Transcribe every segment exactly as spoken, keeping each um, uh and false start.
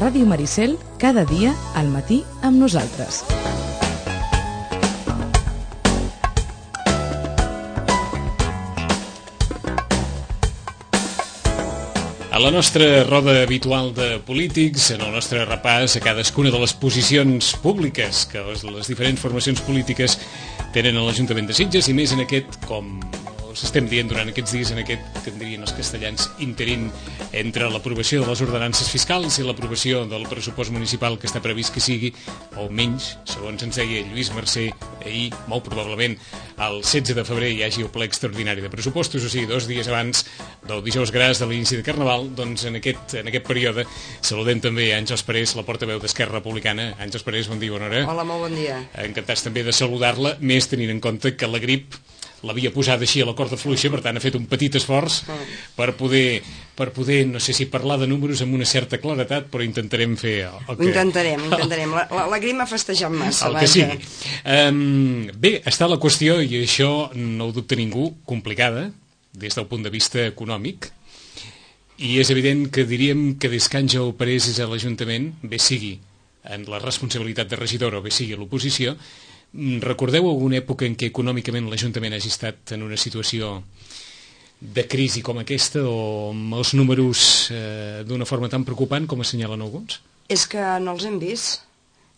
Ràdio Maricel, cada dia al matí amb nosaltres. A la nostra roda habitual de polítics, en el nostre repàs a cadascuna de les posicions públiques que les, les diferents formacions polítiques tenen a l'Ajuntament de Sitges, i més en aquest, com us estem dient durant aquests dies, en aquest, que en dirien els castellans, interín entre l'aprovació de les ordenances fiscals i l'aprovació del pressupost municipal que està previst que sigui, o menys, segons ens deia Lluís Mercè ahir, molt probablement el setze de febrer hi hagi el ple extraordinari de pressupostos, o sigui, dos dies abans del dijous gras de l'inici de Carnaval. Doncs en aquest, en aquest període saludem també a Àngels Parés, la portaveu d'Esquerra Republicana. Àngels Parés, bon dia, bona hora. Hola, molt bon dia. Encantats també de saludar-la, més tenint en compte que la grip l'havia posat així a la corda fluixa, per tant ha fet un petit esforç per poder, per poder, no sé si parlar de números amb una certa claretat, però intentarem fer el que... Ho intentarem, intentarem. La, la, la grip m'ha festejat massa. El que sigui. Um, bé, està la qüestió, i això no ho dubta ningú, complicada, des del punt de vista econòmic, i és evident que diríem que des que Àngel Parés és a l'Ajuntament, bé sigui en la responsabilitat de regidor o bé sigui a l'oposició, recordeu alguna època en què econòmicament l'Ajuntament hagi estat en una situació de crisi com aquesta, o amb els números eh, d'una forma tan preocupant com assenyalen alguns? És que no els hem vist.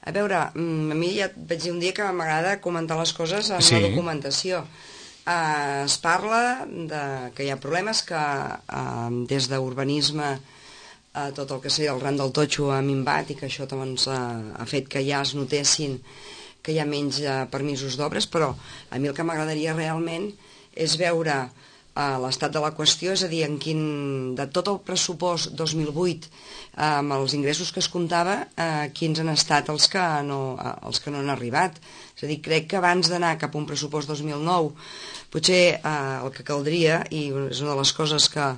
A veure, a mi ja et vaig dir un dia que m'agrada comentar les coses amb sí. la documentació. Uh, es parla de, que hi ha problemes, que uh, des d'urbanisme uh, tot el que sé, el ran del totxo ha minvat i que això doncs, uh, ha fet que ja es notessin que hi ha menys eh, permisos d'obres, però a mi el que m'agradaria realment és veure eh, l'estat de la qüestió, és a dir, en quin, de tot el pressupost dos mil vuit, eh, amb els ingressos que es comptava, eh, quins han estat els que, no, eh, els que no han arribat. És a dir, crec que abans d'anar cap a un pressupost dos mil nou, potser eh, el que caldria, i és una de les coses que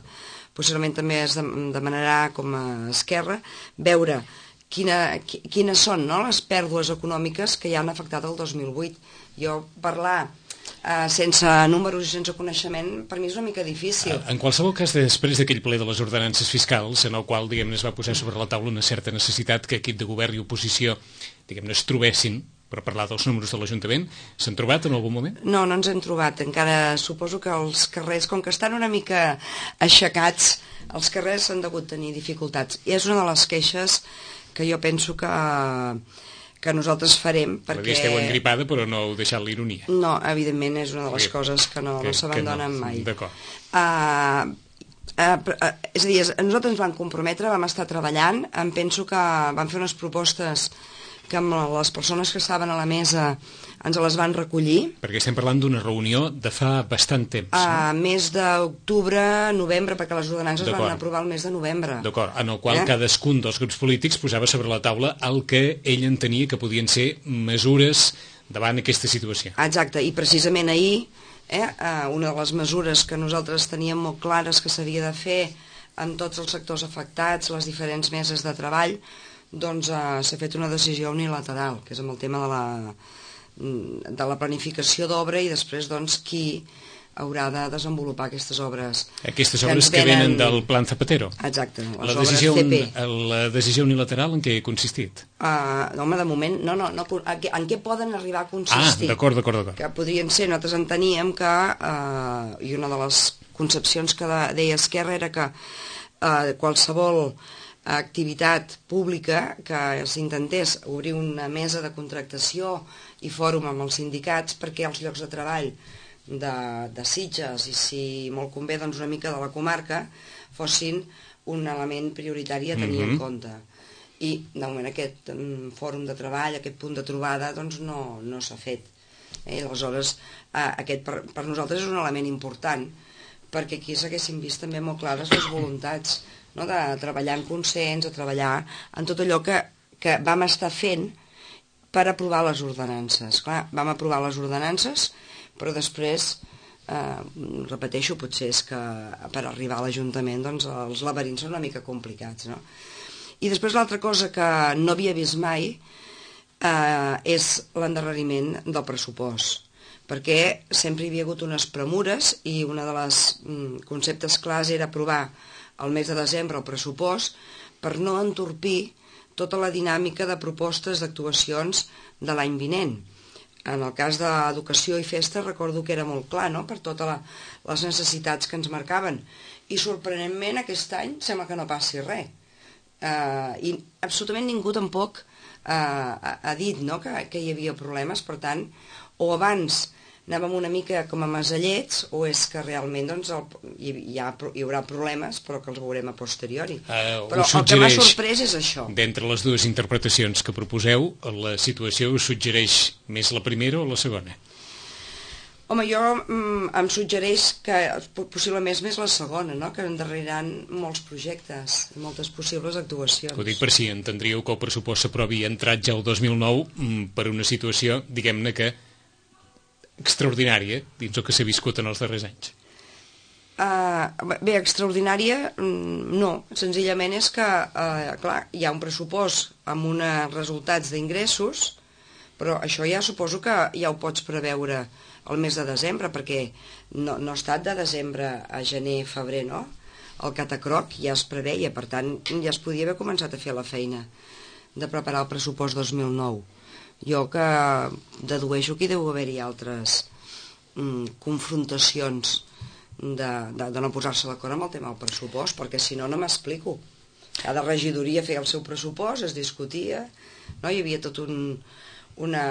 possiblement també es demanarà com a Esquerra, veure Quina, quines són no, les pèrdues econòmiques que ja han afectat el dos mil vuit. Jo parlar eh, sense números i sense coneixement per mi és una mica difícil. En qualsevol cas, després d'aquell ple de les ordenances fiscals, en el qual diguem-ne es va posar sobre la taula una certa necessitat que equip de govern i oposició diguem-ne es trobessin per parlar dels números de l'Ajuntament, s'han trobat en algun moment? No, no ens hem trobat. Encara suposo que els carrers, com que estan una mica aixecats, els carrers han degut tenir dificultats. I és una de les queixes que jo penso que, que nosaltres farem, perquè... La esteu engripada, però no heu deixat l'ironia. No, evidentment és una de les coses que no, que, no s'abandonen no. mai. D'acord. Uh, uh, uh, és a dir, nosaltres ens vam comprometre, vam estar treballant, em penso que vam fer unes propostes que amb les persones que estaven a la mesa ens les van recollir. Perquè estem parlant d'una reunió de fa bastant temps, no? A mes d'octubre, novembre, perquè les ordenances van aprovar el mes de novembre. D'acord, en el qual eh? cadascun dels grups polítics posava sobre la taula el que ell entenia que podien ser mesures davant aquesta situació. Exacte, i precisament ahir, eh, una de les mesures que nosaltres teníem molt clares que s'havia de fer amb tots els sectors afectats, les diferents meses de treball, doncs eh, s'ha fet una decisió unilateral, que és amb el tema de la, de la planificació d'obra i després doncs qui haurà de desenvolupar aquestes obres. Aquestes obres que, venen... que venen del Plan Zapatero. Exacte, les la obres decisió, C P. La decisió unilateral en què ha consistit? Uh, no, home, de moment, no, no, no en, què, en què poden arribar a consistir? Ah, d'acord, d'acord, d'acord. Que podrien ser, nosaltres enteníem que, uh, i una de les concepcions que de, deia Esquerra era que uh, qualsevol activitat pública que s'intentés obrir una mesa de contractació i fòrum amb els sindicats perquè els llocs de treball de, de Sitges i si molt convé doncs una mica de la comarca fossin un element prioritari a tenir mm-hmm. en compte. I de moment aquest um, fòrum de treball, aquest punt de trobada doncs no, no s'ha fet. Eh? Aleshores eh, aquest per, per nosaltres és un element important perquè aquí s'haguessin vist també molt clares les voluntats, no? De treballar en consens, de treballar en tot allò que, que vam estar fent per aprovar les ordenances. Clar, vam aprovar les ordenances, però després, eh, repeteixo, potser és que per arribar a l'Ajuntament doncs, els laberints són una mica complicats. No? I després l'altra cosa que no havia vist mai eh, és l'endarreriment del pressupost, perquè sempre hi havia hagut unes premures i un dels mm, conceptes clars era aprovar el mes de desembre el pressupost per no entorpir tota la dinàmica de propostes d'actuacions de l'any vinent. En el cas d'educació i festa recordo que era molt clar, no?, per totes la, les necessitats que ens marcaven. I sorprenentment aquest any sembla que no passi res. Uh, I absolutament ningú tampoc uh, ha, ha dit, no?, que, que hi havia problemes. Per tant, o abans anàvem una mica com a masallets, o és que realment doncs, el, hi, hi, ha, hi haurà problemes, però que els veurem a posteriori. Uh, però el que m'ha sorprès és això. D'entre les dues interpretacions que proposeu, la situació us suggereix més la primera o la segona? Home, jo mm, em suggereix que possiblement més la segona, no?, que endarreriran molts projectes, moltes possibles actuacions. Ho dic per si entendríeu que el pressupost s'aprovi entrat ja el dos mil nou mm, per una situació, diguem-ne que extraordinària dins el que s'ha viscut en els darrers anys. Uh, bé, extraordinària no, senzillament és que uh, clar, hi ha un pressupost amb uns resultats d'ingressos, però això ja suposo que ja ho pots preveure el mes de desembre, perquè no, no ha estat de desembre a gener, febrer, no? El catacroc ja es preveia, per tant ja es podia haver començat a fer la feina de preparar el pressupost dos mil nou. Jo que dedueixo que hi deu haver-hi altres mm, confrontacions de, de, de no posar-se d'acord amb el tema del pressupost, perquè si no, no m'explico. Cada regidoria feia el seu pressupost, es discutia, no? Hi havia tot un, una,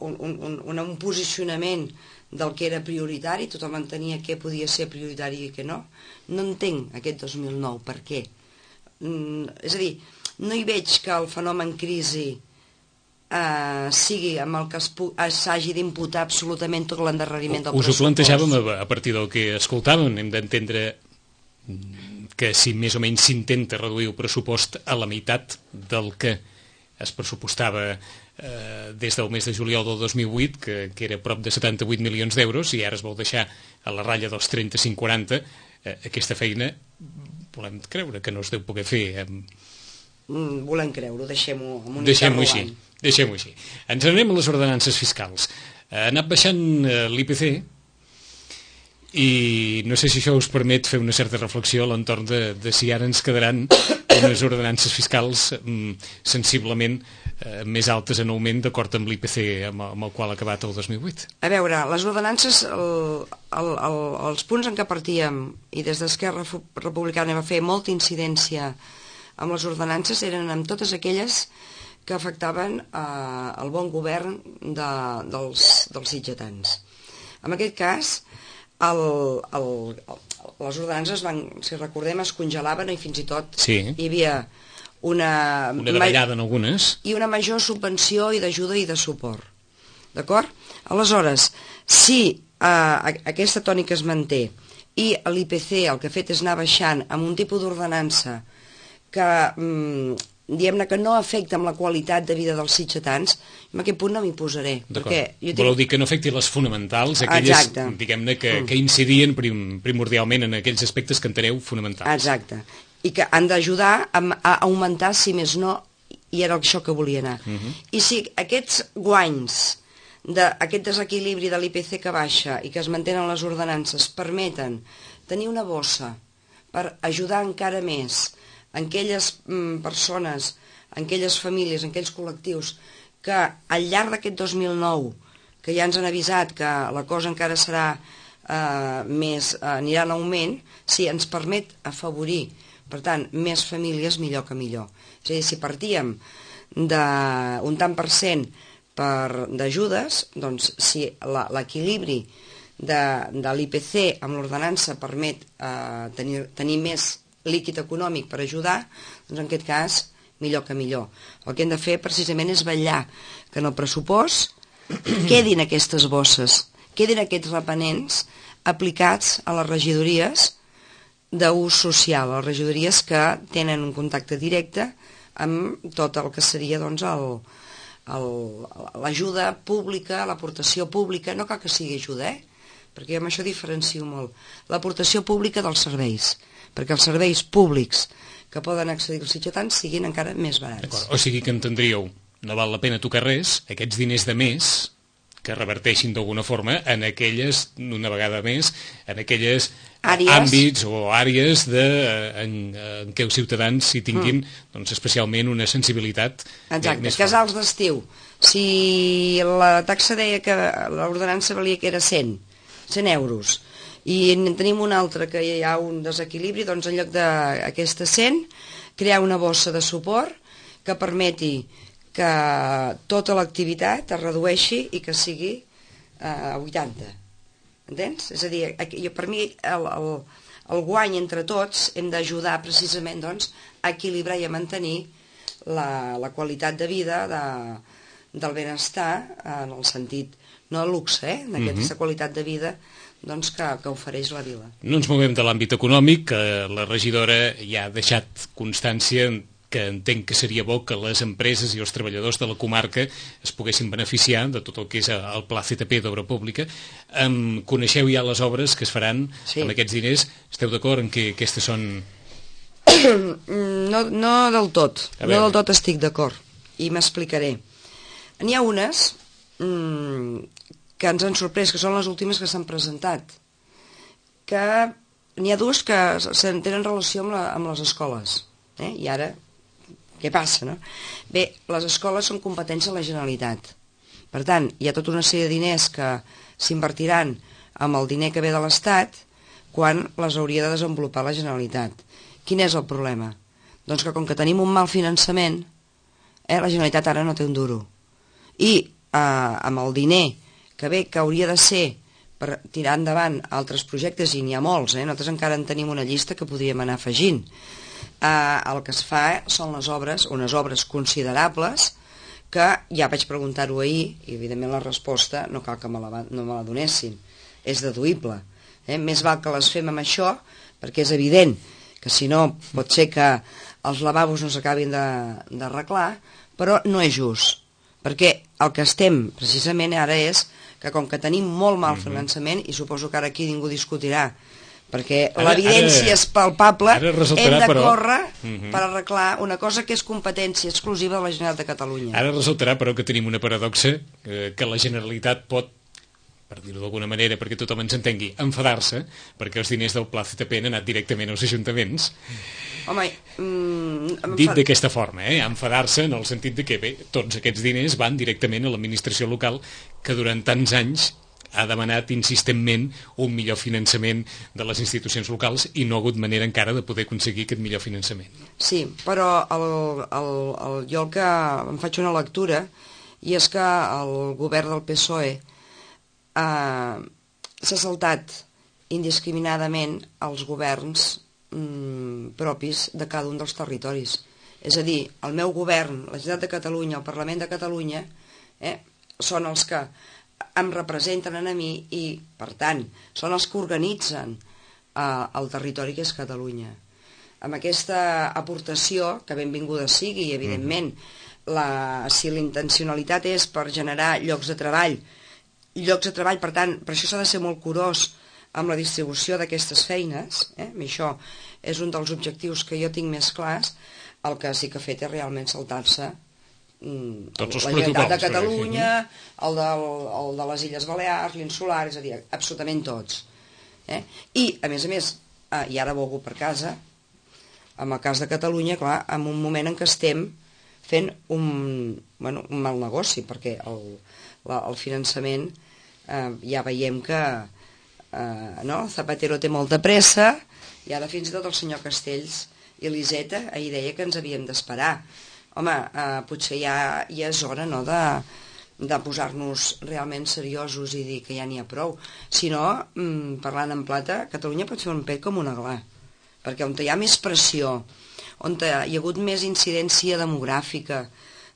un, un, un, un posicionament del que era prioritari, tothom entenia què podia ser prioritari i què no. No entenc aquest dos mil nou, per què? Mm, és a dir, no hi veig que el fenomen crisi Uh, sigui amb el que s'hagi d'imputar absolutament tot l'endarreriment del pressupost. Us ho plantejàvem a, a partir del que escoltàvem. Hem d'entendre que si més o menys s'intenta reduir el pressupost a la meitat del que es pressupostava eh, des del mes de juliol del dos mil vuit, que, que era prop de setanta-vuit milions d'euros, i ara es vol deixar a la ratlla dels trenta-cinc quaranta, eh, aquesta feina volem creure que no es deu poder fer. Eh, Mm, volem creure-ho, deixem-ho amb un deixem-ho així, deixem-ho així. Ens anem a les ordenances fiscals. Ha anat baixant eh, l'I P C i no sé si això us permet fer una certa reflexió a l'entorn de, de si ara ens quedaran unes ordenances fiscals mm, sensiblement eh, més altes en augment d'acord amb l'I P C amb, amb el qual ha acabat el dos mil vuit. A veure, les ordenances, el, el, el, els punts en què partíem i des d'Esquerra Republicana va fer molta incidència amb les ordenances eren amb totes aquelles que afectaven eh, el bon govern de, dels, dels sitgetans. En aquest cas, el, el, el, les ordenances van, si recordem, es congelaven i fins i tot sí. Hi havia una... Una davallada en algunes. I una major subvenció i d'ajuda i de suport. D'acord? Aleshores, si eh, aquesta tònica es manté i l'I P C el que ha fet és anar baixant amb un tipus d'ordenança que, mm, diguem-ne, que no afecta amb la qualitat de vida dels sitgetans, en aquest punt no m'hi posaré. Perquè jo tinc... Voleu dir que no afecti les fonamentals, aquelles, diguem-ne, que, mm. que incidien prim, primordialment en aquells aspectes que enteneu fonamentals. Exacte. I que han d'ajudar a, a augmentar, si més no, i era això que volia anar. Mm-hmm. I si aquests guanys, d'aquest desequilibri de l'I P C que baixa i que es mantenen les ordenances, permeten tenir una bossa per ajudar encara més en aquelles mm, persones, en aquelles famílies, en aquells col·lectius que al llarg d'aquest dos mil nou, que ja ens han avisat que la cosa encara serà eh, més, eh, anirà en augment, si ens permet afavorir, per tant, més famílies, millor que millor. És a dir, si partíem d'un tant per cent d'ajudes, doncs si l'equilibri de, de l'I P C amb l'ordenança permet eh, tenir, tenir més líquid econòmic per ajudar, doncs en aquest cas millor que millor. El que hem de fer precisament és vetllar que en el pressupost quedin aquestes bosses, quedin aquests repenents aplicats a les regidories d'ús social, a les regidories que tenen un contacte directe amb tot el que seria doncs, l'ajuda pública, l'aportació pública, no cal que sigui ajuda, eh? Perquè jo amb això diferencio molt, l'aportació pública dels serveis, perquè els serveis públics que poden accedir als sitgetans siguin encara més barats. O sigui que entendríeu, no val la pena tocar res, aquests diners de més que reverteixin d'alguna forma en aquelles, una vegada més, en aquelles àrees. àmbits o àrees de, en, en què els ciutadans hi tinguin mm. doncs, especialment una sensibilitat. Exacte, més casals d'estiu. Si la taxa deia que l'ordenança valia que era cent euros i en tenim una altra que hi ha un desequilibri, doncs en lloc d'aquesta cent, crear una bossa de suport que permeti que tota l'activitat es redueixi i que sigui a vuitanta. Entens? És a dir, per mi el, el, el guany entre tots hem d'ajudar precisament doncs, a equilibrar i a mantenir la, la qualitat de vida de, del benestar en el sentit, no de luxe, eh? En aquesta mm-hmm. qualitat de vida doncs, que, que ofereix la vila. No ens movem de l'àmbit econòmic, que la regidora ja ha deixat constància que entenc que seria bo que les empreses i els treballadors de la comarca es poguessin beneficiar de tot el que és el Pla C T P d'obra pública. Um, coneixeu ja les obres que es faran sí. amb aquests diners? Esteu d'acord en que aquestes són... No, no del tot, no del tot estic d'acord, i m'explicaré. N'hi ha unes mmm, que ens han sorprès, que són les últimes que s'han presentat, que n'hi ha dues que tenen relació amb, la, amb les escoles, eh? I ara, què passa, no? Bé, les escoles són competència de la Generalitat, per tant, hi ha tota una sèrie de diners que s'invertiran amb el diner que ve de l'Estat quan les hauria de desenvolupar la Generalitat. Quin és el problema? Doncs que com que tenim un mal finançament, eh, la Generalitat ara no té un duro. I eh, amb el diner que ve, que hauria de ser per tirar endavant altres projectes, i n'hi ha molts, eh? Nosaltres encara en tenim una llista que podríem anar afegint. Eh, el que es fa són les obres, unes obres considerables, que ja vaig preguntar-ho ahir, i evidentment la resposta no cal que me la, no me la donessin, és deduïble. Eh? Més val que les fem amb això, perquè és evident que si no pot ser que els lavabos no s'acabin d'arreglar, però no és just, perquè el que estem precisament ara és que com que tenim molt mal finançament, i suposo que ara aquí ningú discutirà, perquè l'evidència és palpable, hem de però... córrer uh-huh. per arreglar una cosa que és competència exclusiva de la Generalitat de Catalunya. Ara resultarà, però, que tenim una paradoxa, eh, que la Generalitat pot, per dir-ho d'alguna manera, perquè tothom ens entengui, enfadar-se, perquè els diners del Pla C T P han anat directament als ajuntaments. Home, mm, dit d'aquesta forma, eh? enfadar-se en el sentit de que bé, tots aquests diners van directament a l'administració local, que durant tants anys ha demanat insistentment un millor finançament de les institucions locals i no ha hagut manera encara de poder aconseguir aquest millor finançament. Sí, però el, el, el, jo el que em faig una lectura, i és que el govern del P S O E Uh, s'ha saltat indiscriminadament els governs mm, propis de cada un dels territoris. És a dir, el meu govern, la Generalitat de Catalunya, el Parlament de Catalunya, eh, són els que em representen a mi i, per tant, són els que organitzen uh, el territori que és Catalunya. Amb aquesta aportació, que benvinguda sigui, i evidentment, la, si la intencionalitat és per generar llocs de treball, llocs de treball, per tant, per això s'ha de ser molt curós amb la distribució d'aquestes feines, eh? I això és un dels objectius que jo tinc més clars. El que sí que ha fet és realment saltar-se mm, la Generalitat de Catalunya, el de, el de les Illes Balears, l'Insular, és a dir, absolutament tots. Eh? I, a més a més, eh, i ara volgo per casa, amb el cas de Catalunya, clar, en un moment en què estem fent un, bueno, un mal negoci, perquè el, la, el finançament eh, ja veiem que eh, no? Zapatero té molta pressa, i ara fins i tot el senyor Castells i l'Iseta ahir deia que ens havíem d'esperar. Home, eh, potser ja, ja és hora, no?, de, de posar-nos realment seriosos i dir que ja n'hi ha prou. Si no, mm, parlant en plata, Catalunya pot fer un pet com un aglà, perquè on hi ha més pressió, on hi ha hagut més incidència demogràfica,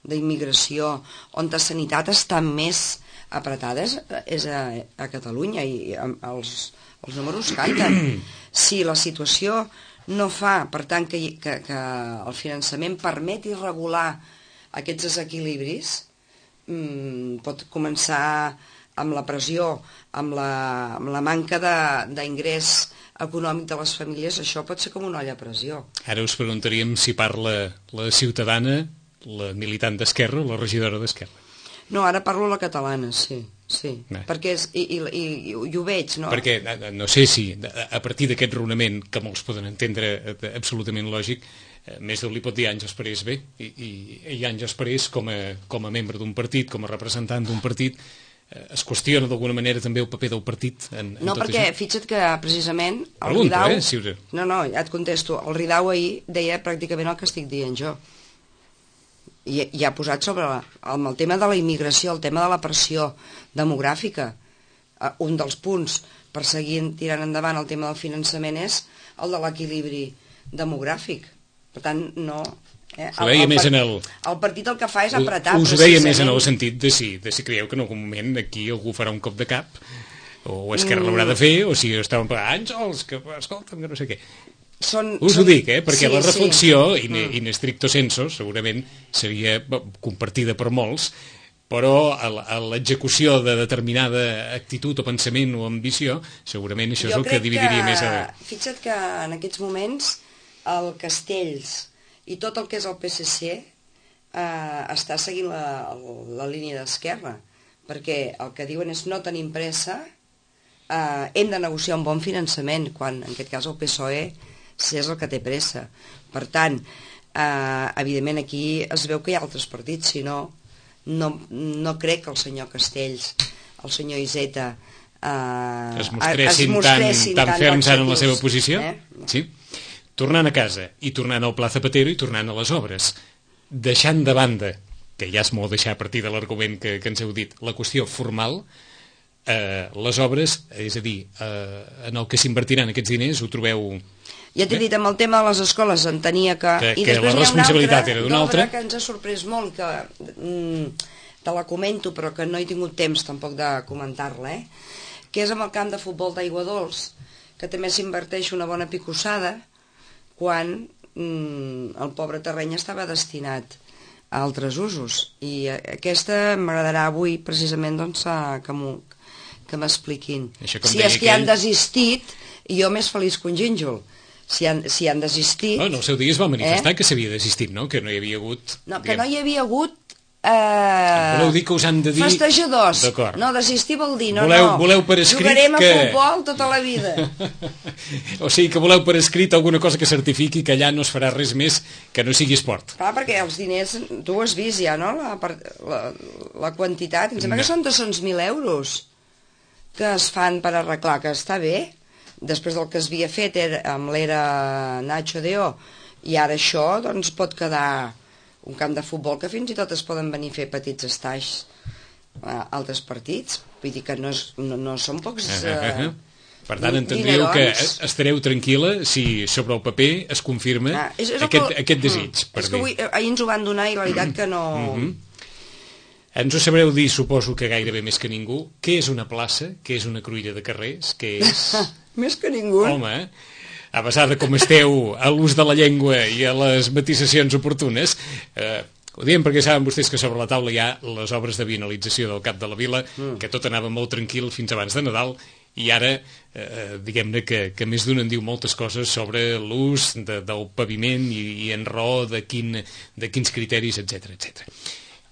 d'immigració, on la sanitat està més apretada és a, a Catalunya, i els, els números canten. Si la situació no fa, per tant, que, que, que el finançament permeti regular aquests desequilibris, mmm, pot començar amb la pressió, amb la, amb la manca d'ingrés econòmic de les famílies, això pot ser com una olla a pressió. Ara us preguntaríem si parla la ciutadana, la militant d'Esquerra o la regidora d'Esquerra. No, ara parlo la catalana, sí. sí, Bé. perquè és, i, i, i, i ho veig, no? Perquè, no sé si, a partir d'aquest raonament, que molts poden entendre absolutament lògic, més d'un li pot dir Àngels Parés bé, i, i, i Àngels Parés, com a, com a membre d'un partit, com a representant d'un partit, es qüestiona d'alguna manera també el paper del partit en, en no, tot perquè això? Fixa't que precisament el Pregunto, Ridau... eh, si us... No, no, ja et contesto. El Ridau ahir deia pràcticament el que estic dient jo. I, i ha posat sobre la, el, el tema de la immigració, el tema de la pressió demogràfica. Uh, un dels punts per seguir tirant endavant el tema del finançament és el de l'equilibri demogràfic. Per tant, no... Eh? Ho deia el, el, més en el... el partit el que fa és apretar. Us ho deia més en el sentit de si, de si creieu que en algun moment aquí algú farà un cop de cap, o Esquerra mm. l'haurà de fer, o si estàvem pagant Àngels, que escolta'm, que no sé què. Són, Són, Us ho dic, eh? Perquè sí, la reflexió, sí. in, in stricto sensu, segurament seria compartida per molts, però a l'execució de determinada actitud o pensament o ambició, segurament això és jo el que dividiria que, més... A... Fixa't que en aquests moments el Castells i tot el que és el P S C eh, està seguint la, la línia d'Esquerra, perquè el que diuen és no tenim pressa, eh, hem de negociar un bon finançament, quan en aquest cas el P S O E si és el que té pressa. Per tant, eh, evidentment aquí es veu que hi ha altres partits, si no, no, no crec que el senyor Castells, el senyor Iceta eh, es mostressin, es mostressin tan, tan ferms en la seva laxatius, posició. Eh? Sí. Tornant a casa i tornant al Pla Zapatero i tornant a les obres, deixant de banda, que ja és molt deixar a partir de l'argument que, que ens heu dit, la qüestió formal, eh, les obres, és a dir, eh, en el que s'invertiran aquests diners, ho trobeu... Ja t'he dit, amb el tema de les escoles entenia que... Que, I que la responsabilitat era d'una altra. Que ens ha sorprès molt, que mm, te la comento, però que no he tingut temps tampoc de comentar-la, eh? Que és amb el camp de futbol d'Aigua Dols, que també s'inverteix una bona picossada, quan mm, el pobre terreny estava destinat a altres usos. I aquesta m'agradarà avui, precisament, doncs, que m'expliquin. Si és que hi han desistit, i jo més feliç que un gínjol. Si han, si han desistit... Oh, en el seu dia es va manifestar eh? que s'havia desistit, no? Que no hi havia hagut... No, que diguem... no hi havia hagut... Eh... Voleu dir que us han de dir... Festejadors. No, desistir vol dir, no, voleu, no. Voleu per escrit Jugarem que... a futbol tota la vida. O sigui, que voleu per escrit alguna cosa que certifiqui que allà no es farà res més que no sigui esport. Clar, perquè els diners, tu ho has vist ja, no? La, la, la quantitat, em sembla no. que són dos-cents mil euros que es fan per arreglar, que està bé. Després del que es havia fet era, amb l'era Nacho Deo, i ara això doncs, pot quedar un camp de futbol que fins i tot es poden venir a fer petits estais a altres partits. Vull dir que no, és, no, no són pocs... Uh -huh. Per tant, entendríeu que estareu tranquil·la si sobre el paper es confirma ah, és, és aquest, que, aquest desig. Mm, per és que avui, ahir ens ho van donar i la veritat que no... Uh -huh. Ens ho sabreu dir, suposo que gairebé més que ningú, què és una plaça, què és una cruïlla de carrers, què és... Més que ningú. Home, a pesar de com esteu a l'ús de la llengua i a les matisacions oportunes, eh, ho diem perquè saben vostès que sobre la taula hi ha les obres de vianalització del Cap de la Vila, mm. que tot anava molt tranquil fins abans de Nadal, i ara, eh, diguem-ne que, que més d'un en diu moltes coses sobre l'ús de, del paviment i, i en raó de, quin, de quins criteris, etcètera, etcètera.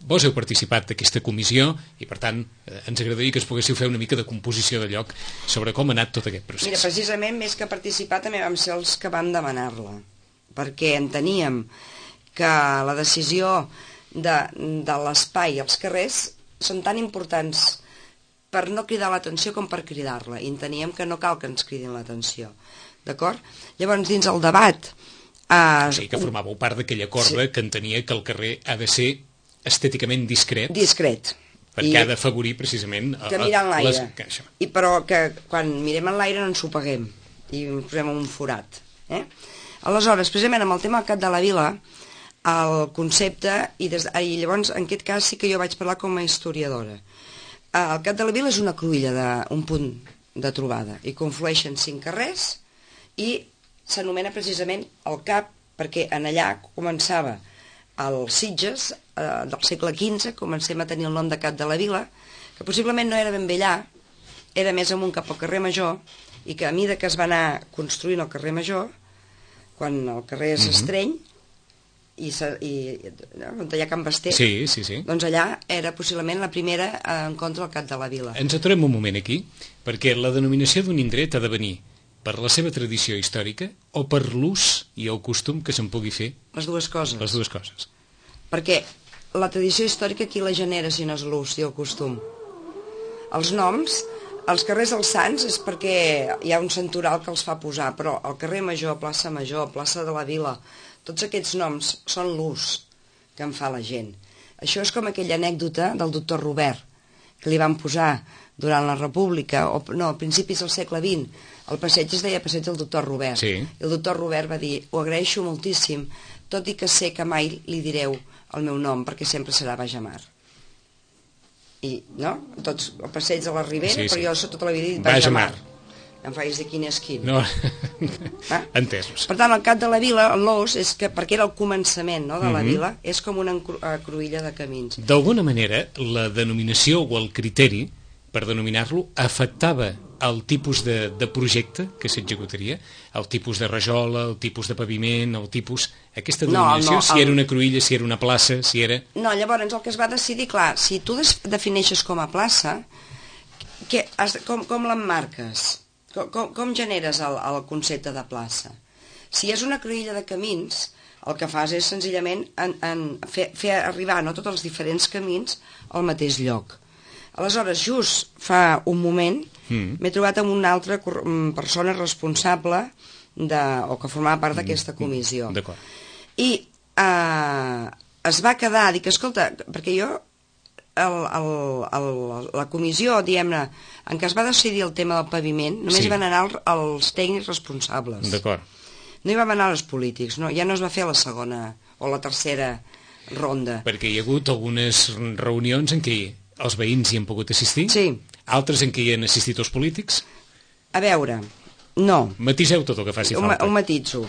Vos heu participat d'aquesta comissió i, per tant, eh, ens agradaria que es poguéssiu fer una mica de composició de lloc sobre com ha anat tot aquest procés. Mira, precisament, més que participar, també vam ser els que vam demanar-la, perquè enteníem que la decisió de, de l'espai als carrers són tan importants per no cridar l'atenció com per cridar-la, i enteníem que no cal que ens cridin l'atenció, d'acord? Llavors, dins el debat... Eh, o sigui, que formàveu part d'aquella corda sí. que entenia que el carrer ha de ser estèticament discret. Discret. Perquè I ha d'afavorir precisament... Que mirar en l'aire. I però que quan mirem en l'aire no ens ho paguem i ens posem un forat. Eh? Aleshores, precisament amb el tema del Cap de la Vila, el concepte, i, des, i llavors en aquest cas sí que jo vaig parlar com a historiadora. El Cap de la Vila és una cruïlla, de, un punt de trobada, i conflueixen cinc carrers i s'anomena precisament el Cap perquè en allà començava els Sitges, eh, del segle quinze, comencem a tenir el nom de Cap de la Vila, que possiblement no era ben bé allà, era més amunt cap al carrer Major, i que a mida que es va anar construint el carrer Major, quan el carrer s'estreny, i, i on hi ha Can Basté, sí, sí, sí. doncs allà era possiblement la primera en contra del Cap de la Vila. Ens aturem un moment aquí, perquè la denominació d'un indret ha de venir per la seva tradició històrica o per l'ús i el costum que se'n pugui fer? Les dues coses. Les dues coses. Perquè la tradició històrica qui la genera si no és l'ús i el costum? Els noms, els carrers dels Sants és perquè hi ha un santoral que els fa posar, però el carrer Major, plaça Major, plaça de la Vila, tots aquests noms són l'ús que en fa la gent. Això és com aquella anècdota del doctor Robert, que li van posar durant la República, o no, a principis del segle vint, el passeig es deia passeig del doctor Robert. Sí. I el doctor Robert va dir, ho agraeixo moltíssim, tot i que sé que mai li direu el meu nom, perquè sempre serà Bajamar. I, no? Tots, el passeig de la Ribera, sí, sí. però jo tota la vida he dit Bajamar. Bajamar. Em faig de quin és quin. No. Ah? Entesos. Per tant, el Cap de la Vila, l'os, és que, perquè era el començament, no, de la Mhm. vila, és com una encru- eh, cruïlla de camins. D'alguna manera, la denominació o el criteri, per denominar-lo, afectava el tipus de, de projecte que s'executaria, el tipus de rajola, el tipus de paviment, el tipus... Aquesta No, denominació, no, si el- era una cruïlla, si era una plaça, si era... No, llavors el que es va decidir, clar, si tu des- defineixes com a plaça, que has, com, com l'emmarques? Com, com, com generes el, el concepte de plaça? Si és una cruïlla de camins, el que fas és senzillament en, en fer, fer arribar no, tots els diferents camins al mateix lloc. Aleshores, just fa un moment, Mm. m'he trobat amb una altra cor- mm, persona responsable de, o que formava part d'aquesta comissió. D'acord. I eh, es va quedar, dic, escolta, perquè jo, el, el, el, la comissió, diguem-ne, en què es va decidir el tema del paviment, només Sí. hi van anar els, els tècnics responsables. D'acord. No hi van anar els polítics, no? Ja no es va fer la segona o la tercera ronda. Perquè hi ha hagut algunes reunions en què els veïns hi han pogut assistir, Sí. altres en què hi han assistit els polítics. A veure, no, Matiseu tot el que faci ho, ma- falta. ho matitzo.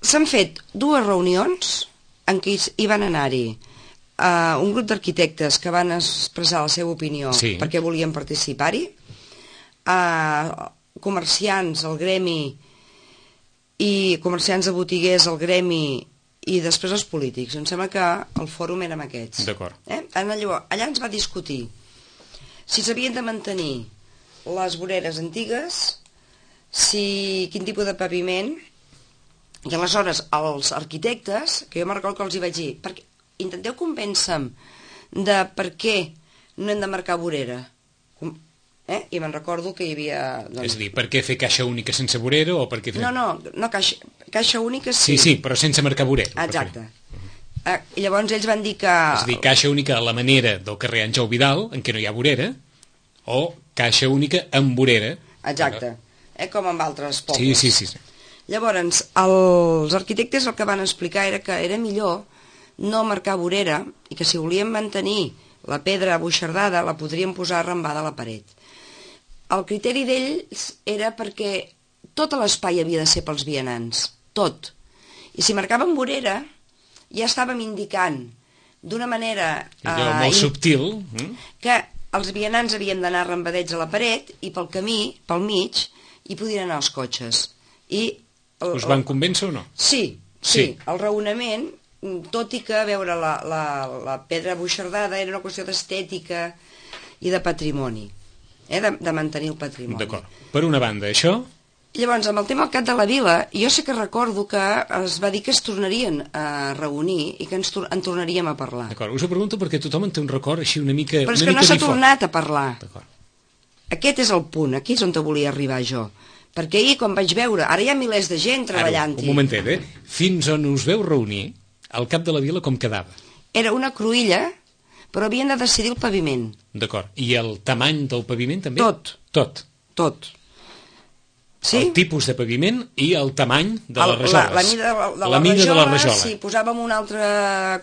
S'han fet dues reunions en què hi van anar-hi uh, un grup d'arquitectes que van expressar la seva opinió Sí. perquè volien participar-hi, uh, comerciants, el gremi, i comerciants de botiguers, el gremi, i després els polítics. Em sembla que el fòrum érem aquests. D'acord. Eh? Allò, allà ens va discutir si s'havien de mantenir les voreres antigues, si quin tipus de paviment, i aleshores els arquitectes, que jo me'n recordo que els hi vaig dir, perquè, intenteu convèncer-me de per què no hem de marcar vorera. Com- Eh? I me'n recordo que hi havia... Doncs... És a dir, per què fer caixa única sense vorera o per què fer... No, no, no caixa, caixa única sí. Sí, sí, però sense marcar vorera. per Exacte. fer. Eh, I llavors ells van dir que... És a dir, caixa única a la manera del carrer Àngel Vidal, en què no hi ha vorera, o caixa única amb vorera. Exacte. Eh, com amb altres pobles. Sí, sí, sí. sí. Llavors, els arquitectes el que van explicar era que era millor no marcar vorera i que si volíem mantenir la pedra buixardada la podríem posar arrambada a la paret. El criteri d'ells era perquè tot l'espai havia de ser pels vianants, tot. I si marcàvem vorera, ja estàvem indicant d'una manera... Allò eh, molt in- subtil. Mm? que els vianants havien d'anar arrambadets a la paret i pel camí, pel mig, hi podien anar els cotxes. I el, Us van convèncer o no? Sí, sí, Sí. el raonament, tot i que veure la, la, la pedra buixardada era una qüestió d'estètica i de patrimoni, eh, de, de mantenir el patrimoni. D'acord. Per una banda, això... Llavors, amb el tema del Cap de la Vila, jo sí que recordo que es va dir que es tornarien a reunir i que ens tor en tornaríem a parlar. D'acord, us ho pregunto perquè tothom en té un record així una mica... Però és una que no mica s'ha difós. tornat a parlar. D'acord. Aquest és el punt, aquí és on te volia arribar jo. Perquè ahir, quan vaig veure, ara hi ha milers de gent Ara, treballant-hi. un momentet, eh? Fins on us veu reunir, el Cap de la Vila com quedava? Era una cruïlla, però havien de decidir el paviment. D'acord. I el tamany del paviment també? Tot. Tot. Tot. Sí? El tipus de paviment i el tamany de El- les rajoles. La, la mida de la, de la, la mida rajola, de la rajola. si posàvem un altre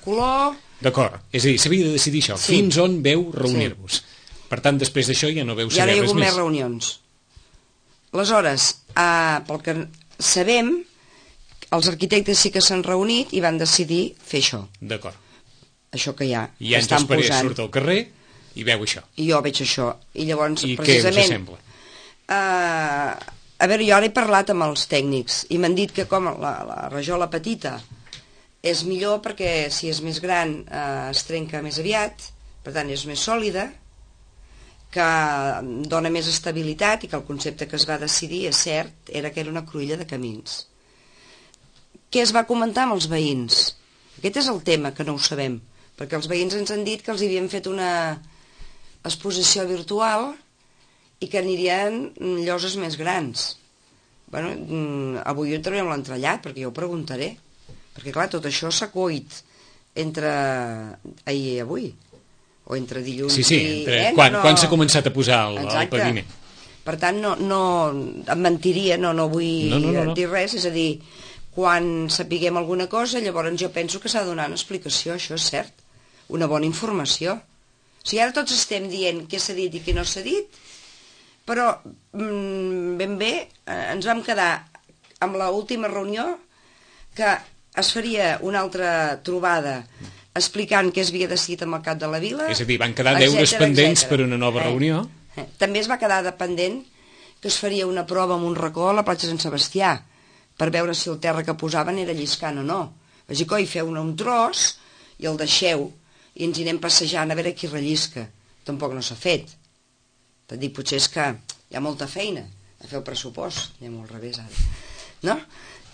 color... D'acord. És a dir, s'havia de decidir això. Sí. Fins on veu reunir-vos. Per tant, després d'això ja no veu Ja no saber hi ha res hagut més més. reunions. Aleshores, eh, pel que sabem, els arquitectes sí que s'han reunit i van decidir fer això. D'acord. Això que hi ha. I que Àngels estan Parés posant. surt al carrer i veu això. I jo veig això. I llavors, I què us precisament... sembla? Uh, a veure, jo ara he parlat amb els tècnics i m'han dit que com la, la rajola petita és millor perquè si és més gran eh, es trenca més aviat, per tant és més sòlida, que dona més estabilitat i que el concepte que es va decidir, és cert, era que era una cruïlla de camins. Què es va comentar amb els veïns? Aquest és el tema, que no ho sabem, perquè els veïns ens han dit que els havien fet una exposició virtual i que anirien lloses més grans. Bueno, avui ho entrarem l'entrellat, perquè jo ho preguntaré, perquè clar, tot això s'ha coit entre ahir i avui, o entre dilluns sí, sí, entre... i... Eh? Quan, no, no... quan s'ha començat a posar el, el paviment? Per tant, no, no, em mentiria, no, no vull no, no, no, no. dir res, és a dir, quan sapiguem alguna cosa, llavors jo penso que s'ha de donar una explicació, això és cert, una bona informació. O sigui, ara tots estem dient què s'ha dit i què no s'ha dit, però mm, ben bé eh, ens vam quedar amb l'última reunió que es faria una altra trobada explicant què es havia decidit amb el cap de la vila. És a dir, van quedar deures pendents per una nova eh, reunió. Eh. També es va quedar dependent que es faria una prova amb un racó a la platja Sant Sebastià per veure si el terra que posaven era lliscant o no. Vaig dir, coi, feu un tros i el deixeu i ens hi anem passejant a veure qui rellisca. Tampoc no s'ha fet. T'et dic, potser és que hi ha molta feina a fer el pressupost, hi ha molt revés ara, no?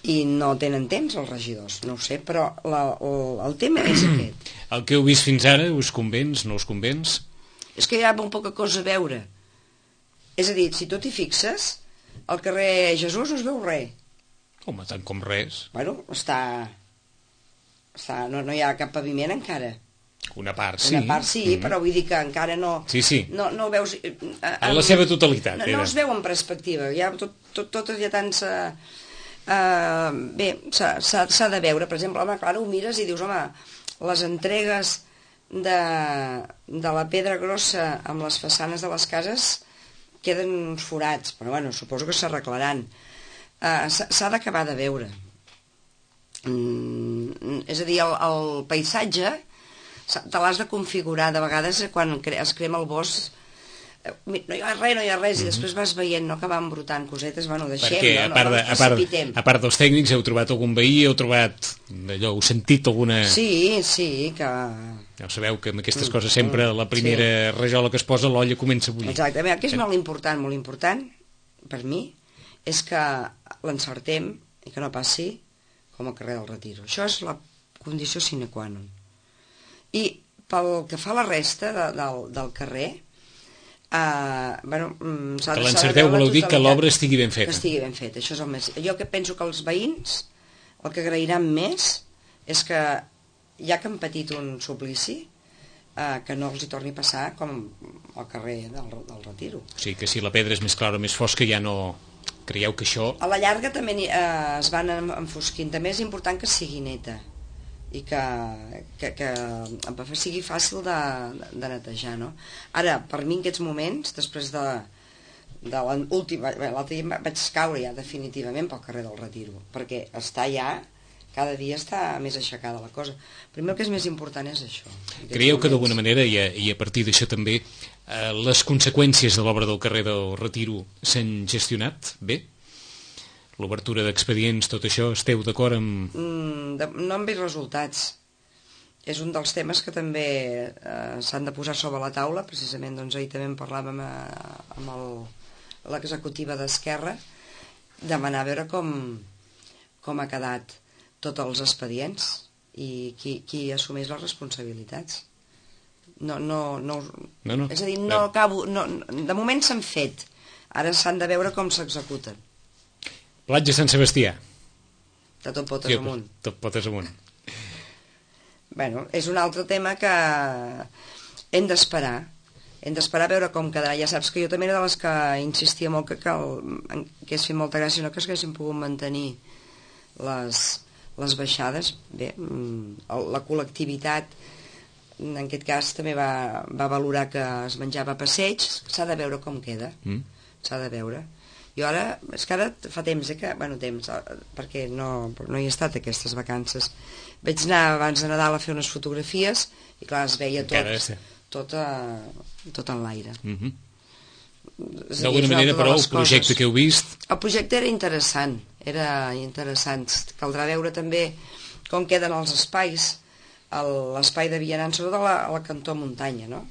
I no tenen temps els regidors, no ho sé, però la, el, el tema és aquest. El que heu vist fins ara, us convenç, no us convenç? És que hi ha molt poca cosa a veure. És a dir, si tu t'hi fixes, al carrer Jesús no es veu res. Home, tant com res. Bueno, està... està no, no hi ha cap paviment encara. Una part sí. Una part sí, mm-hmm. Però vull dir que encara no... Sí, sí. No, no ho veus... Eh, en la seva totalitat. No, no es veu en perspectiva. Hi ha tot, tot, tot hi ha tants... Uh, uh, bé, s'ha de veure. Per exemple, home, clar, ho mires i dius, home, les entregues de, de la pedra grossa amb les façanes de les cases queden uns forats, però bueno, suposo que s'arreglaran. Uh, s'ha d'acabar de veure. Mm, és a dir, el, el paisatge te l'has de configurar. De vegades quan es crema el bosc no hi ha res, no hi ha res, mm-hmm. I després vas veient, no, que van brotant cosetes, bueno, deixem, perquè, no, a part, no, de, no a, part, a part dels tècnics, heu trobat algun veí, heu trobat allò, heu sentit alguna... Sí, sí, que... Ja sabeu que amb aquestes mm, coses sempre la primera sí. rajola que es posa l'olla comença a bullir. Exacte, el que és molt important, molt important, per mi, és que l'encertem i que no passi com al carrer del Retiro. Això és la condició sine qua non. I pel que fa a la resta de, del, del carrer, uh, bueno, s'ha que de l'encerteu voleu dir que l'obra estigui ben feta. Que estigui ben feta, això és el més... Jo que penso que els veïns el que agrairan més és que ja que han patit un suplici, uh, que no els hi torni a passar com al carrer del, del Retiro. O sigui que si la pedra és més clara o més fosca ja no... Creieu que això... A la llarga també eh, es van enfosquint. També és important que sigui neta i que, que, que sigui fàcil de, de netejar, no? Ara, per mi en aquests moments, després de, de l'última... L'altre dia vaig caure ja definitivament pel carrer del Retiro, perquè està ja... Cada dia està més aixecada la cosa. Primer el que és més important és això. Creieu que d'alguna manera, i a, i a partir d'això també, eh, les conseqüències de l'obra del carrer del Retiro s'han gestionat bé? L'obertura d'expedients, tot això, esteu d'acord amb... Mm, de, no hem vist resultats. És un dels temes que també eh, s'han de posar sobre la taula. Precisament doncs, ahir també en parlàvem a, amb l'executiva d'Esquerra, demanar a veure com, com ha quedat tots els expedients i qui, qui assumeix les responsabilitats. No, no, no, no, no. És a dir, no acabo, no, de moment s'han fet, ara s'han de veure com s'executen. Platja Sant Sebastià. De tot potes amunt. Tot potes amunt. Bueno, és un altre tema que hem d'esperar. Hem d'esperar a veure com quedarà. Ja saps que jo també era de les que insistia molt que, que, el, que és fer molta gràcia, no que es haguessin pogut mantenir les... les baixades. Bé, la col·lectivitat en aquest cas també va, va valorar que es menjava a passeig. S'ha de veure com queda, mm. s'ha de veure. Jo ara, és que ara fa temps, eh, que, bueno, temps, perquè no, no hi he estat aquestes vacances. Vaig anar abans de Nadal a fer unes fotografies i clar, es veia tot, tot, a, tot en l'aire. Mm-hmm. D'alguna manera, però, el projecte que heu vist... El projecte era interessant, era interessant. Caldrà veure també com queden els espais, l'espai de vianants, sobretot a la, a la cantó muntanya, no?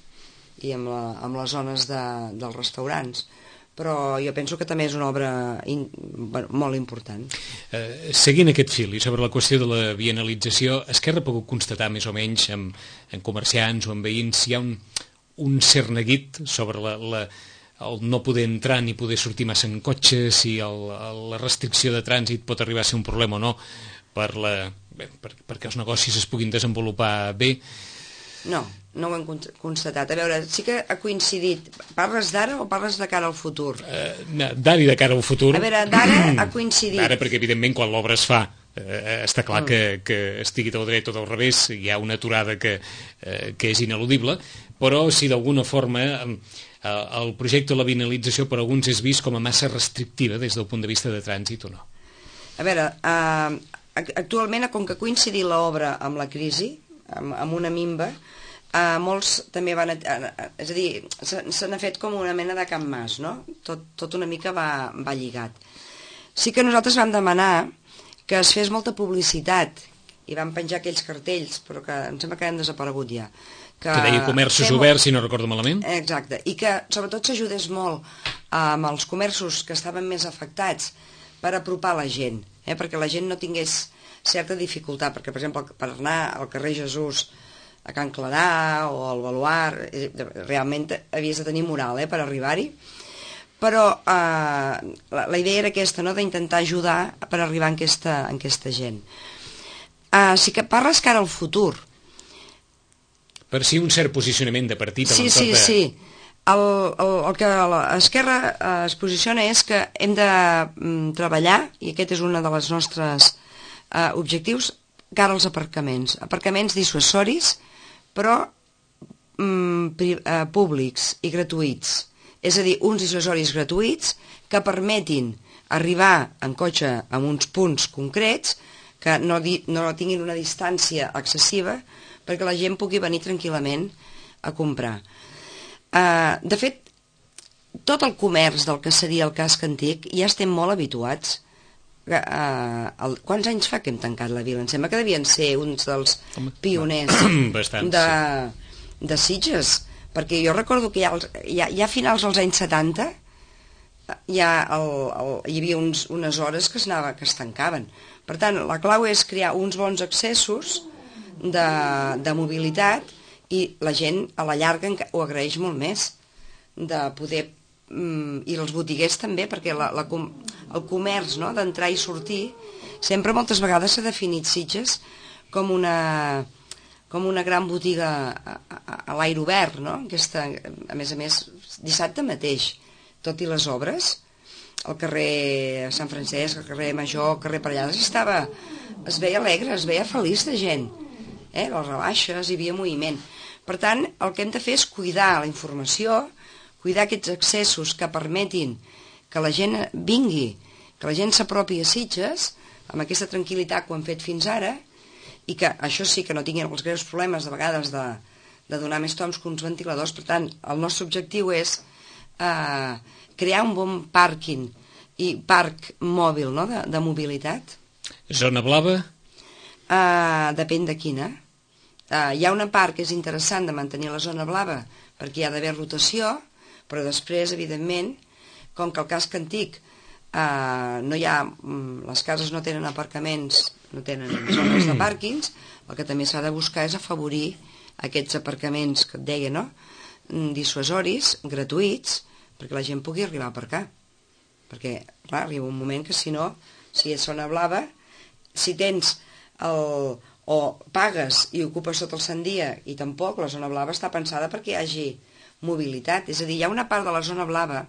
I amb, la, amb les zones de, dels restaurants. Però jo penso que també és una obra in, bueno, molt important. Eh, seguint aquest fil i sobre la qüestió de la bienalització, Esquerra ha pogut constatar més o menys amb, amb comerciants o amb veïns si hi ha un, un cert neguit sobre la, la, el no poder entrar ni poder sortir massa en cotxe, si el, la restricció de trànsit pot arribar a ser un problema o no per la, bé, per, perquè els negocis es puguin desenvolupar bé. No, no ho hem constatat. A veure, sí que ha coincidit. Parles d'ara o parles de cara al futur? Uh, d'ara i de cara al futur. A veure, d'ara ha coincidit. D'ara, perquè evidentment quan l'obra es fa eh, està clar mm. que, que estigui del dret o del revés, hi ha una aturada que, eh, que és ineludible, però si d'alguna forma eh, el projecte de la bienalització per alguns és vist com a massa restrictiva des del punt de vista de trànsit o no. A veure, eh, actualment, com que ha coincidit l'obra amb la crisi, amb, amb una minva, Uh, molts també van... Uh, és a dir, se, se n'ha fet com una mena de Can Mas, no? Tot, tot una mica va, va lligat. Sí que nosaltres vam demanar que es fes molta publicitat i vam penjar aquells cartells, però que em sembla que han desaparegut ja. Que, que deia comerços fem... oberts, si no recordo malament. Exacte, i que sobretot s'ajudés molt uh, amb els comerços que estaven més afectats per apropar la gent, eh? Perquè la gent no tingués certa dificultat, perquè per exemple per anar al carrer Jesús a Can Clarà o al Baluard, realment havies de tenir moral eh, per arribar-hi, però eh, la, la idea era aquesta, no?, d'intentar ajudar per arribar en aquesta, en aquesta gent. Eh, sí que parles cara al futur. Per si un cert posicionament de partit a sí, l'entorn sí, de... Sí, el, el, el que l'Esquerra eh, es posiciona és que hem de mm, treballar, i aquest és un dels nostres eh, objectius, cara als aparcaments. Aparcaments dissuasoris, però mm, pri, eh, públics i gratuïts. És a dir, uns dissuasoris gratuïts que permetin arribar en cotxe a uns punts concrets que no, di, no tinguin una distància excessiva perquè la gent pugui venir tranquil·lament a comprar. Eh, de fet, tot el comerç del que seria el casc antic ja estem molt habituats. Uh, el, quants anys fa que hem tancat la vila? Em sembla que devien ser uns dels pioners Bastant, de, sí. de Sitges, perquè jo recordo que ja, ja, ja a finals dels anys setanta ja el, el, hi havia uns, unes hores que es, anava, que es tancaven. Per tant, la clau és crear uns bons accessos de, de mobilitat, i la gent a la llarga ho agraeix molt més, de poder, mm, i els botiguers també, perquè la, la, el comerç, no?, d'entrar i sortir, sempre moltes vegades s'ha definit Sitges com una, com una gran botiga a, a, a l'aire obert, no? Aquesta, a més a més, dissabte mateix, tot i les obres, el carrer Sant Francesc, el carrer Major, el carrer Parellades, estava, es veia alegre, es veia feliç de gent, eh? Les rebaixes, hi havia moviment. Per tant, el que hem de fer és cuidar la informació, cuidar aquests accessos que permetin que la gent vingui, que la gent s'apropi a Sitges, amb aquesta tranquil·litat que ho hem fet fins ara, i que això sí que no tinguin els greus problemes de vegades de, de donar més toms que uns ventiladors. Per tant, el nostre objectiu és eh, crear un bon pàrquing i parc mòbil, no?, de, de mobilitat. Zona blava? Eh, depèn de quina. Eh, hi ha una part que és interessant de mantenir la zona blava perquè hi ha d'haver rotació, però després, evidentment, com que el casc antic eh, no hi ha, les cases no tenen aparcaments, no tenen zones de pàrquings, el que també s'ha de buscar és afavorir aquests aparcaments que et deia, no?, dissuasoris, gratuïts, perquè la gent pugui arribar a aparcar. Perquè, clar, arriba un moment que si no, si és zona blava, si tens el... o pagues i ocupes tot el sant dia, i tampoc, la zona blava està pensada perquè hi hagi mobilitat. És a dir, hi ha una part de la zona blava,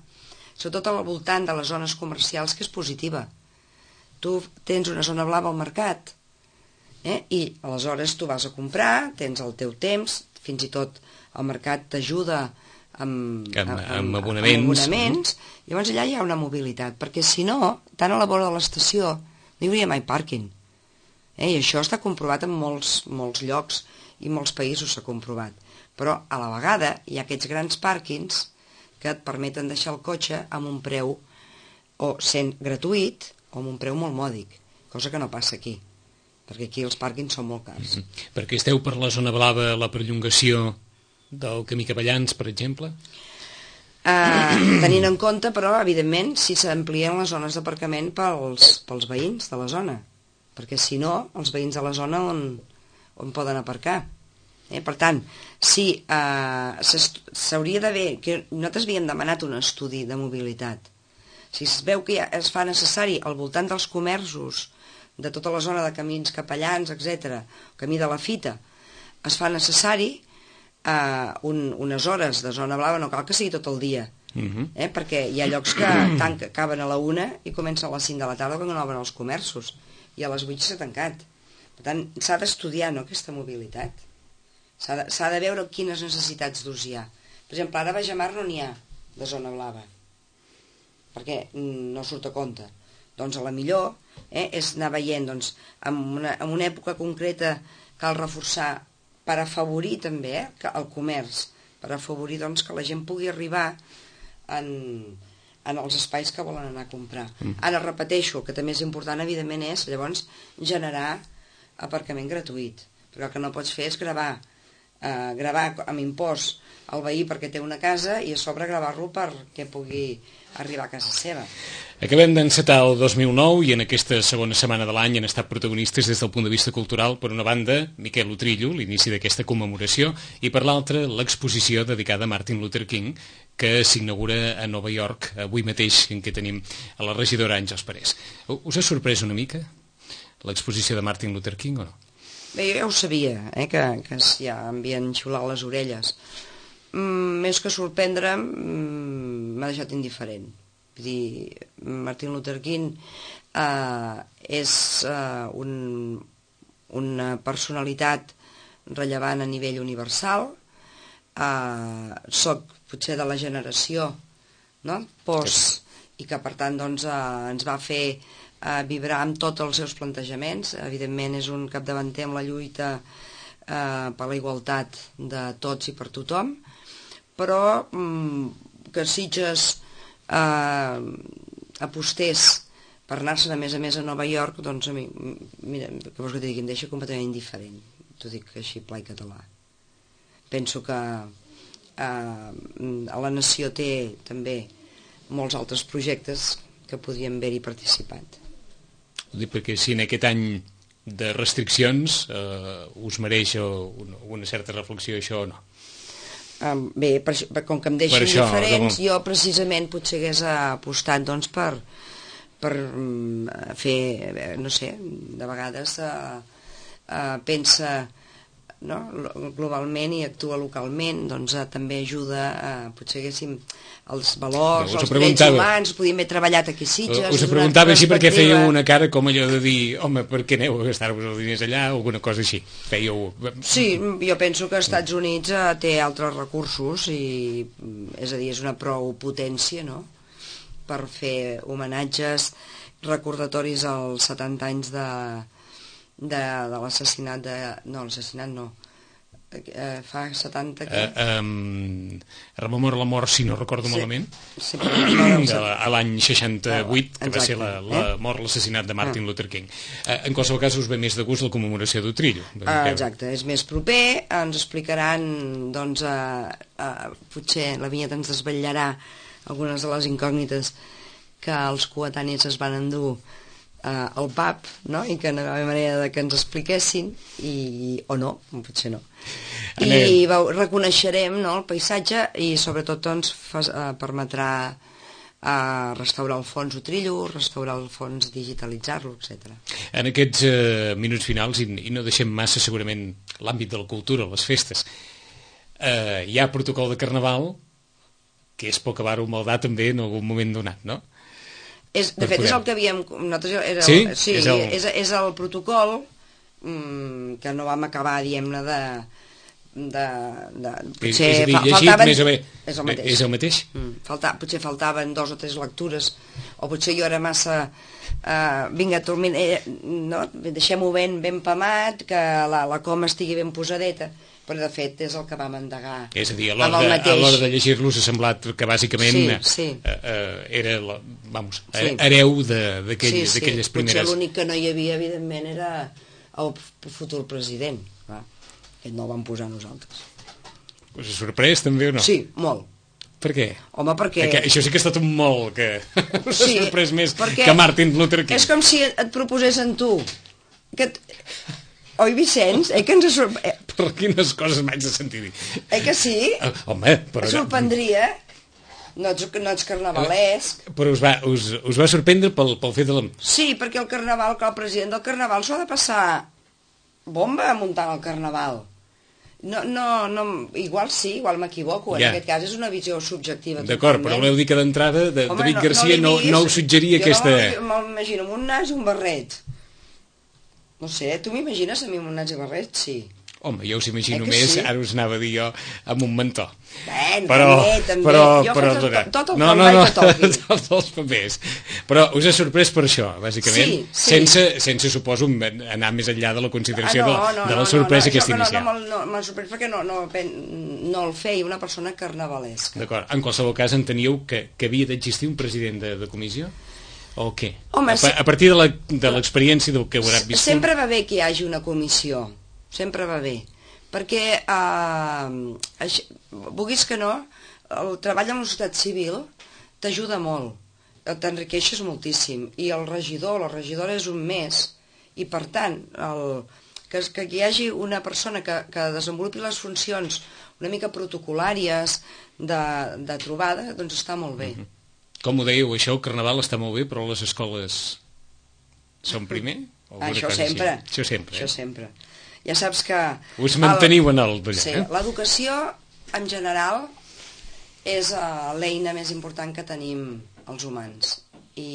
sobretot al voltant de les zones comercials, que és positiva. Tu tens una zona blava al mercat, eh? I aleshores tu vas a comprar, tens el teu temps, fins i tot el mercat t'ajuda amb, amb, amb, amb abonaments. amb abonaments, llavors allà hi ha una mobilitat, perquè si no, tant a la vora de l'estació no hi hauria mai pàrquing. Eh? I això està comprovat en molts, molts llocs i molts països s'ha comprovat. Però a la vegada hi ha aquests grans pàrquings que et permeten deixar el cotxe amb un preu o sent gratuït o amb un preu molt mòdic, cosa que no passa aquí. perquè aquí els pàrquings són molt cars. Mm-hmm. Perquè esteu per la zona blava, la perllongació del camí Capellans, per exemple? Uh, tenint en compte, però, evidentment, si s'amplien les zones d'aparcament pels, pels veïns de la zona, perquè si no, els veïns de la zona on, on poden aparcar. Eh? Per tant, si uh, s'hauria d'haver, que nosaltres havíem demanat un estudi de mobilitat, si es veu que ja es fa necessari al voltant dels comerços, de tota la zona de camins Capellans, etcètera, camí de la Fita, es fa necessari Uh, un, unes hores de zona blava, no cal que sigui tot el dia, uh-huh. eh? perquè hi ha llocs que tanca, acaben a la una i comencen a les cinc de la tarda quan no obren els comerços, i a les vuit s'ha tancat. Per tant, s'ha d'estudiar, no?, aquesta mobilitat. S'ha de, s'ha de veure quines necessitats d'ús hi ha. Per exemple, ara a Bajamar no n'hi ha de zona blava, perquè no surt a compte. Doncs a la millor eh, és anar veient, doncs, en una, en una època concreta cal reforçar per afavorir també eh, el comerç, per afavorir doncs, que la gent pugui arribar en, en els espais que volen anar a comprar. Mm. Ara repeteixo, el que també és important evidentment és llavors generar aparcament gratuït, però el que no pots fer és gravar, eh, gravar amb impost al veí perquè té una casa i a sobre gravar-lo perquè pugui arribar a casa seva. Acabem d'encetar el dos mil nou i en aquesta segona setmana de l'any han estat protagonistes des del punt de vista cultural, per una banda, Miquel Utrillo, l'inici d'aquesta commemoració, i per l'altra, l'exposició dedicada a Martin Luther King, que s'inaugura a Nova York avui mateix, en què tenim a la regidora Àngels Parés. Us ha sorprès una mica l'exposició de Martin Luther King o no? Bé, jo ja ho sabia, eh, que, que ja havien xiulat les orelles. Mm, més que sorprendre'm, mm, m'ha deixat indiferent. Vull dir, Martin Luther King eh, és eh, un, una personalitat rellevant a nivell universal. Eh, soc potser de la generació, no?, post, i que per tant doncs, eh, ens va fer eh, vibrar amb tots els seus plantejaments. Evidentment és un capdavanter amb la lluita eh, per la igualtat de tots i per tothom, però mm, que Sitges eh, apostés per anar-se'n a més a més a Nova York, doncs a mi, mira, que vols que t'hi digui, em deixa completament indiferent, t'ho dic així pla i català. Penso que eh, a la nació té també molts altres projectes que podrien haver-hi participat. Ho dic perquè si en aquest any de restriccions eh, us mereix una, una certa reflexió això o no? Um, bé, per, per, com que em deixen això, diferents, jo precisament potser hagués apostat doncs, per, per um, fer, no sé, de vegades uh, uh, pensa no, globalment i actua localment, doncs uh, també ajuda, uh, potser haguéssim els valors, els drets humans, podíem haver treballat aquí a Sitges. Us ho preguntava així perquè fèieu una cara com allò de dir, home, per què aneu a gastar-vos els diners allà, o alguna cosa així. Fèieu... Sí, jo penso que els Estats Units uh, té altres recursos i, és a dir, és una prou potència, no?, per fer homenatges, recordatoris als setanta anys de, de, de l'assassinat de... No, l'assassinat no. Eh, fa setanta... Que... Uh, um, rememora la mort, si no recordo sí. malament, sí, no, de, a l'any seixanta-vuit, que exacte, va ser la, la eh? mort, l'assassinat de Martin ah. Luther King. Uh, en qualsevol cas, us ve més de gust la commemoració d'Utrillo. Uh, exacte, és més proper, ens explicaran, doncs, uh, uh, potser la vinyeta ens desvetllarà algunes de les incògnites que els coetanis es van endur uh, al pub, no?, i que no hi havia manera de que ens expliquessin, i, o no, potser no. Anem. I veu, reconeixerem, no, el paisatge i sobretot doncs, fas, uh, permetrà uh, restaurar el fons Utrillo, restaurar el fons, digitalitzar-lo, etcètera. En aquests uh, minuts finals, i, i no deixem massa segurament l'àmbit de la cultura, les festes, uh, hi ha protocol de Carnaval, que és poc avar-ho maldar també en algun moment donat, no? És, de fet, poder... és el que havíem... Nosaltres era, sí? sí és, el... és, és el protocol mm, que no vam acabar, diguem-ne, de... de, de potser és a dir, llegit, faltaven... més o bé, és el mateix, és el mateix? Mm, falta, potser faltaven dos o tres lectures, o potser jo era massa uh, vinga, tormin, eh, no? Deixem-ho ben, ben pamat, que la, la coma estigui ben posadeta, però de fet és el que vam endegar. És a dir, a l'hora de, a l'hora de llegir-los ha semblat que bàsicament sí, sí. Uh, uh, era la, vamos, sí. hereu d'aquelles sí, sí. primeres... Potser l'únic que no hi havia, evidentment, era el futur president. Clar, aquest no el vam posar nosaltres. Us ha sorprès també o no? Sí, molt. Per què? Home, perquè... perquè això sí que ha estat un molt que us sí, ha sorprès més que Martin Luther King. És com si et proposessin tu que et... Oi, Vicenç? Eh que ens ha sorprès... Per quines coses m'haig de sentir dir? Eh que sí? Uh, home, però... Et sorprendria. No ets, no ets carnavalesc. Però us va, us, us va sorprendre pel, pel fet de la... Sí, perquè el carnaval, que el president del carnaval s'ho ha de passar bomba muntant el carnaval. No, no, no, igual sí, igual m'equivoco, en ja. Aquest cas és una visió subjectiva. D'acord, però voleu dir que d'entrada de, Home, David no, Garcia no, no, no us suggeria jo aquesta... Jo m'imagino amb un nas i un barret. No sé, tu m'imagines a mi amb un nas i barret? Sí. Home, jo us imagino eh més, sí? Ara us anava a dir jo, amb un mentó. Ben, però, també, també. Però, jo però, faig tot, tot el no, que no, el no, vaig a toqui. tots els papers. Però us ha sorprès per això, bàsicament, sí, sí. Sense, sense, suposo, anar més enllà de la consideració ah, no, no, de, de la no, sorpresa no, no, aquesta no, inicial. No, no, m'ha sorprès perquè no, no, no el feia una persona carnavalesca. D'acord, en qualsevol cas enteníeu que, que havia d'existir un president de, de comissió? O què? Home, a, a partir de l'experiència del que haurà viscut... Sempre va bé que hi hagi una comissió, sempre va bé. Perquè, eh, això, vulguis que no, el treball amb la societat civil t'ajuda molt, t'enriqueixes moltíssim, i el regidor o la regidora és un més, i per tant, el, que, que hi hagi una persona que, que desenvolupi les funcions una mica protocolàries de, de trobada, doncs està molt bé. Mm-hmm. Com ho dèieu, això, el carnaval està molt bé, però les escoles són primer? Això sempre. Això sempre, Això eh? sempre. Ja saps que... Us manteniu el, en el d'allà, sí, eh? L'educació, en general, és uh, l'eina més important que tenim els humans. I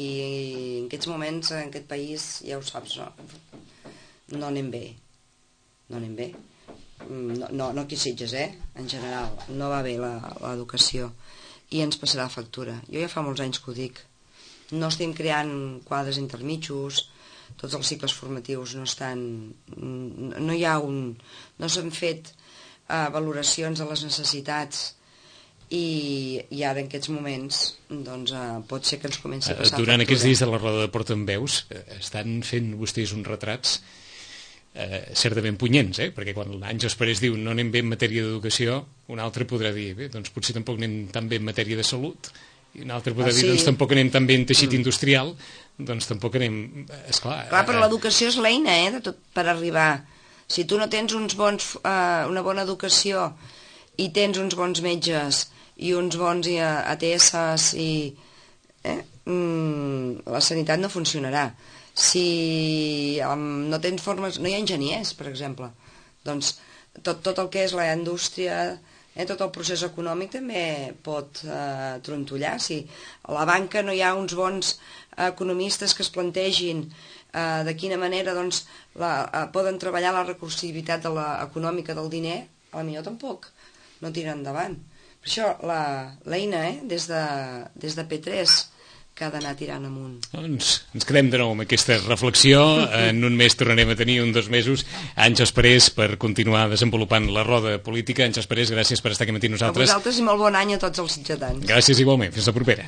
en aquests moments, en aquest país, ja ho saps, no, no anem bé. No anem bé. No, no, no aquí Sitges, eh? En general, no va bé l'educació. I ens passarà factura. Jo ja fa molts anys que ho dic. No estem creant quadres intermitjos, tots els cicles formatius no estan... No hi ha un... No s'han fet uh, valoracions de les necessitats i, i ara en aquests moments doncs uh, pot ser que ens comenci a passar Durant factura. aquests dies de la roda de portaveus estan fent vostès uns retrats eh, certament punyents, eh? Perquè quan l'Àngels Parés diu no anem bé en matèria d'educació, un altre podrà dir bé, doncs potser tampoc anem tan bé en matèria de salut, i un altre podrà ah, dir, sí. doncs tampoc anem tan bé en teixit mm. industrial, doncs tampoc anem... Esclar, Clar, però l'educació és l'eina, eh, de tot per arribar. Si tu no tens uns bons, eh, una bona educació i tens uns bons metges i uns bons A T S i... Eh, mm, la sanitat no funcionarà. Si um, no tens formes... No hi ha enginyers, per exemple. Doncs tot, tot el que és la indústria... Eh, tot el procés econòmic també pot eh, trontollar. Si a la banca no hi ha uns bons economistes que es plantegin eh, de quina manera doncs, la, eh, poden treballar la recursivitat de la, econòmica del diner, a la millor tampoc no tira endavant. Per això l'eina, eh, des, de, des de P tres, que ha d'anar tirant amunt. Doncs ens quedem de nou amb aquesta reflexió. En un mes tornarem a tenir, un dos mesos, Àngels Parés per continuar desenvolupant la roda política. Àngels Parés, gràcies per estar aquí amb nosaltres. A vosaltres i molt bon any a tots els sitgetans. Gràcies igualment. Fins la propera.